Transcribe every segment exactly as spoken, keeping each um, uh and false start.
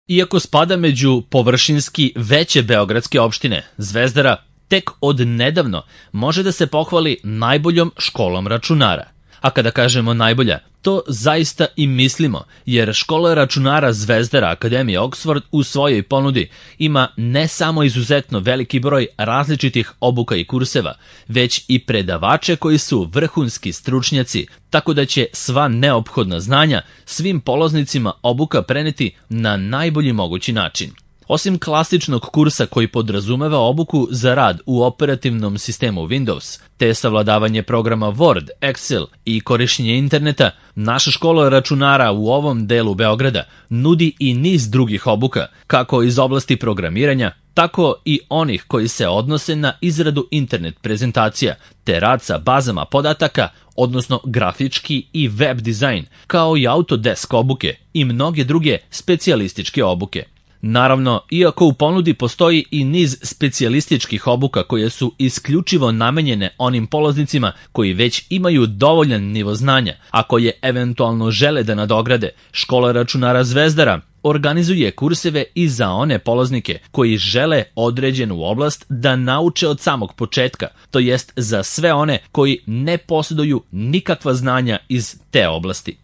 Iako spada među površinski veće beogradske opštine, Zvezdara tek od nedavno može da se pohvali najboljom školom računara. A kada kažemo najbolja, to zaista i mislimo, jer škola računara Zvezdara Akademije Oxford u svojoj ponudi ima ne samo izuzetno veliki broj različitih obuka i kurseva, već i predavače koji su vrhunski stručnjaci, tako da će sva neophodna znanja svim polaznicima obuka preneti na najbolji mogući način. Osim klasičnog kursa koji podrazumeva obuku za rad u operativnom sistemu Windows, te savladavanje programa Word, Excel i korišćenje interneta, naša škola računara u ovom delu Beograda nudi i niz drugih obuka, kako iz oblasti programiranja, tako i onih koji se odnose na izradu internet prezentacija, te rad sa bazama podataka, odnosno grafički i web dizajn, kao i Autodesk obuke i mnoge druge specijalističke obuke. Naravno, iako u ponudi postoji i niz specijalističkih obuka koje su isključivo namenjene onim polaznicima koji već imaju dovoljan nivo znanja, a koje eventualno žele da nadograde, škola računara Zvezdara organizuje kurseve i za one polaznike koji žele određenu oblast da nauče od samog početka, to jest za sve one koji ne posjeduju nikakva znanja iz te oblasti.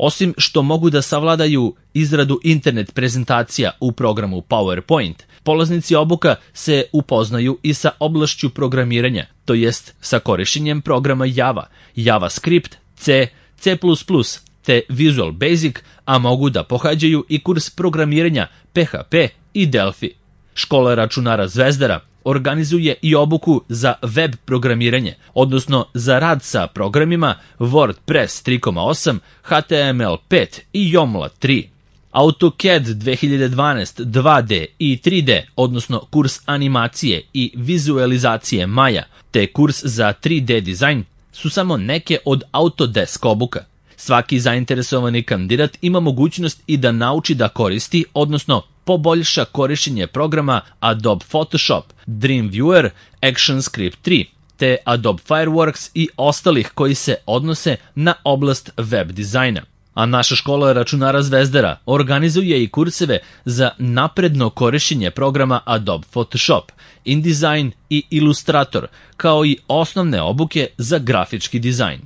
Osim što mogu da savladaju izradu internet prezentacija u programu PowerPoint, polaznici obuka se upoznaju i sa oblašću programiranja, to jest sa korišćenjem programa Java, JavaScript, C, C plus plus, te Visual Basic, a mogu da pohađaju i kurs programiranja P H P i Delphi. Škola računara Zvezdara organizuje i obuku za web programiranje, odnosno za rad sa programima WordPress tri točka osam, H T M L pet i Joomla tri. AutoCAD dve hiljade dvanaest dva D i tri D, odnosno kurs animacije i vizualizacije Maya, te kurs za tri D dizajn su samo neke od Autodesk obuka. Svaki zainteresovani kandidat ima mogućnost i da nauči da koristi, odnosno poboljša korišćenje programa Adobe Photoshop, Dreamweaver, ActionScript tri, te Adobe Fireworks i ostalih koji se odnose na oblast web dizajna. A naša škola računara Zvezdara organizuje i kurseve za napredno korišćenje programa Adobe Photoshop, InDesign i Illustrator, kao i osnovne obuke za grafički dizajn.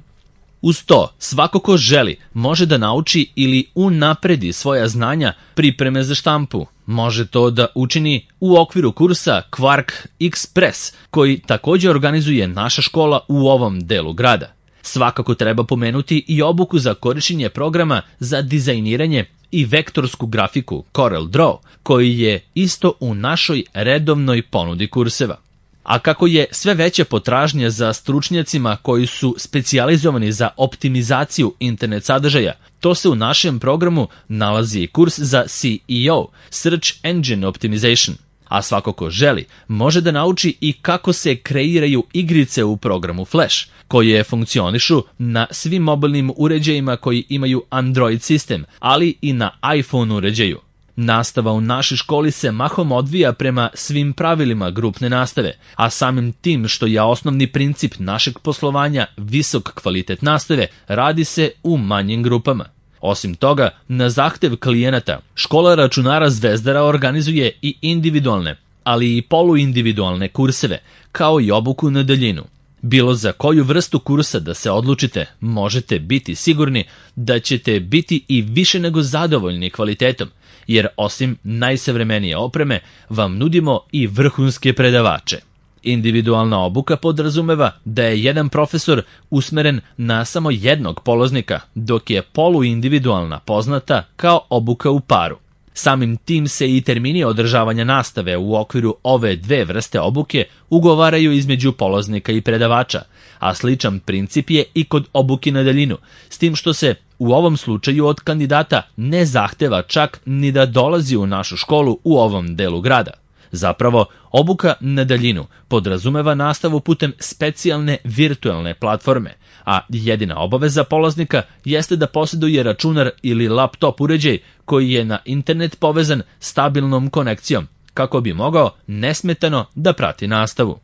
Uz to, svako ko želi može da nauči ili unapredi svoja znanja pripreme za štampu. Može to da učini u okviru kursa Quark Express, koji također organizuje naša škola u ovom delu grada. Svakako treba pomenuti i obuku za korišćenje programa za dizajniranje i vektorsku grafiku CorelDRAW, koji je isto u našoj redovnoj ponudi kurseva. A kako je sve veća potražnja za stručnjacima koji su specijalizovani za optimizaciju internet sadržaja, to se u našem programu nalazi i kurs za S E O, Search Engine Optimization. A svako ko želi može da nauči i kako se kreiraju igrice u programu Flash, koje funkcionišu na svim mobilnim uređajima koji imaju Android sistem, ali i na iPhone uređaju. Nastava u našoj školi se mahom odvija prema svim pravilima grupne nastave, a samim tim što je osnovni princip našeg poslovanja visok kvalitet nastave, radi se u manjim grupama. Osim toga, na zahtev klijenata, škola računara Zvezdara organizuje i individualne, ali i poluindividualne kurseve, kao i obuku na daljinu. Bilo za koju vrstu kursa da se odlučite, možete biti sigurni da ćete biti i više nego zadovoljni kvalitetom, jer osim najsavremenije opreme vam nudimo i vrhunske predavače. Individualna obuka podrazumeva da je jedan profesor usmeren na samo jednog polaznika, dok je poluindividualna poznata kao obuka u paru. Samim tim se i termini održavanja nastave u okviru ove dve vrste obuke ugovaraju između polaznika i predavača, a sličan princip je i kod obuke na daljinu, s tim što se u ovom slučaju od kandidata ne zahteva čak ni da dolazi u našu školu u ovom delu grada. Zapravo, obuka na daljinu podrazumeva nastavu putem specijalne virtualne platforme, a jedina obaveza polaznika jeste da posjeduje računar ili laptop uređaj koji je na internet povezan stabilnom konekcijom, kako bi mogao nesmetano da prati nastavu.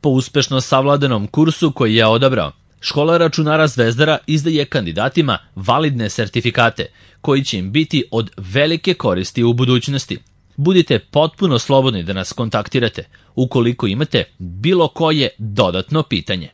Po uspešno savladanom kursu koji je odabrao, Škola računara Zvezdara izdaje kandidatima validne sertifikate koji će im biti od velike koristi u budućnosti. Budite potpuno slobodni da nas kontaktirate ukoliko imate bilo koje dodatno pitanje.